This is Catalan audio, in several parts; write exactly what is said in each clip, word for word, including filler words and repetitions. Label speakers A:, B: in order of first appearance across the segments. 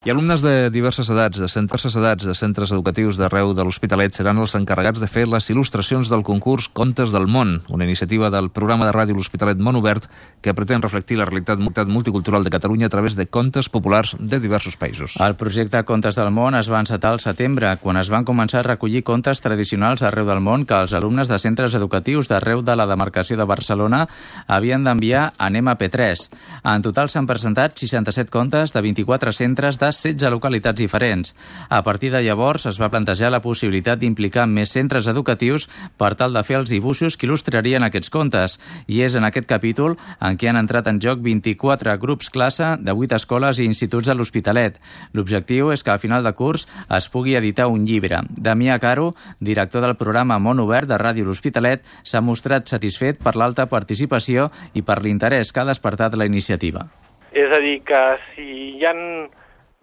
A: I alumnes de diverses edats, de diverses edats de centres educatius d'arreu de l'Hospitalet seran els encarregats de fer les il·lustracions del concurs Contes del Món, una iniciativa del programa de ràdio L'Hospitalet Món Obert que pretén reflectir la realitat multicultural de Catalunya a través de contes populars de diversos països.
B: El projecte Contes del Món es va encetar al setembre, quan es van començar a recollir contes tradicionals arreu del món que els alumnes de centres educatius d'arreu de la demarcació de Barcelona havien d'enviar a Anem a P tres. En total s'han presentat seixanta-set contes de vint-i-quatre centres de setze localitats diferents. A partir de llavors es va plantejar la possibilitat d'implicar més centres educatius per tal de fer els dibuixos que il·lustrarien aquests contes, i és en aquest capítol en què han entrat en joc vint-i-quatre grups classe de vuit escoles i instituts de l'Hospitalet. L'objectiu és que al final de curs es pugui editar un llibre. Damià Caro, director del programa Món Obert de Ràdio L'Hospitalet, s'ha mostrat satisfet per l'alta participació i per l'interès que ha despertat la iniciativa.
C: És a dir, que si hi ha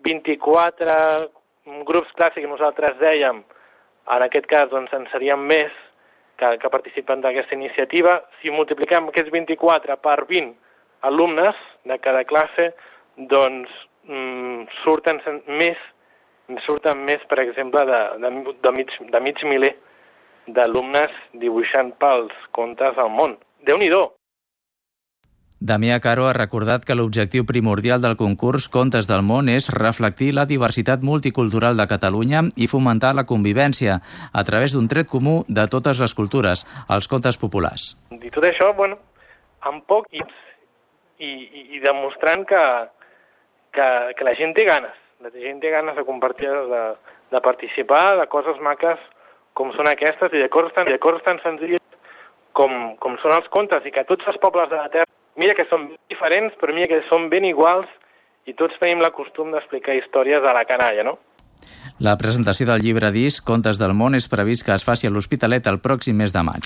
C: vint-i-quatre grups clàssics que nosaltres dèiem, en aquest cas doncs, en serien més que, que participen d'aquesta iniciativa. Si multipliquem aquests vint-i-quatre per vint alumnes de cada classe, doncs mm, surten més, surten més, per exemple, de, de, de, mig, de mig miler d'alumnes dibuixant pels contes del món. Déu-n'hi-do!
B: Damià Caro ha recordat que l'objectiu primordial del concurs Contes del Món és reflectir la diversitat multicultural de Catalunya i fomentar la convivència a través d'un tret comú de totes les cultures, els contes populars.
C: I tot això, bueno, amb poc i, i, i demostrant que, que, que la gent té ganes, la gent té ganes de compartir, de, de participar, de coses maques com són aquestes i de coses tan, de coses tan senzilles com, com són els contes, i que tots els pobles de la Terra, mira que són diferents, però mira que són ben iguals i tots tenim la costum d'explicar històries a la canalla, no?
B: La presentació del llibre disc Contes del Món és previst que es faci a l'Hospitalet el pròxim mes de maig.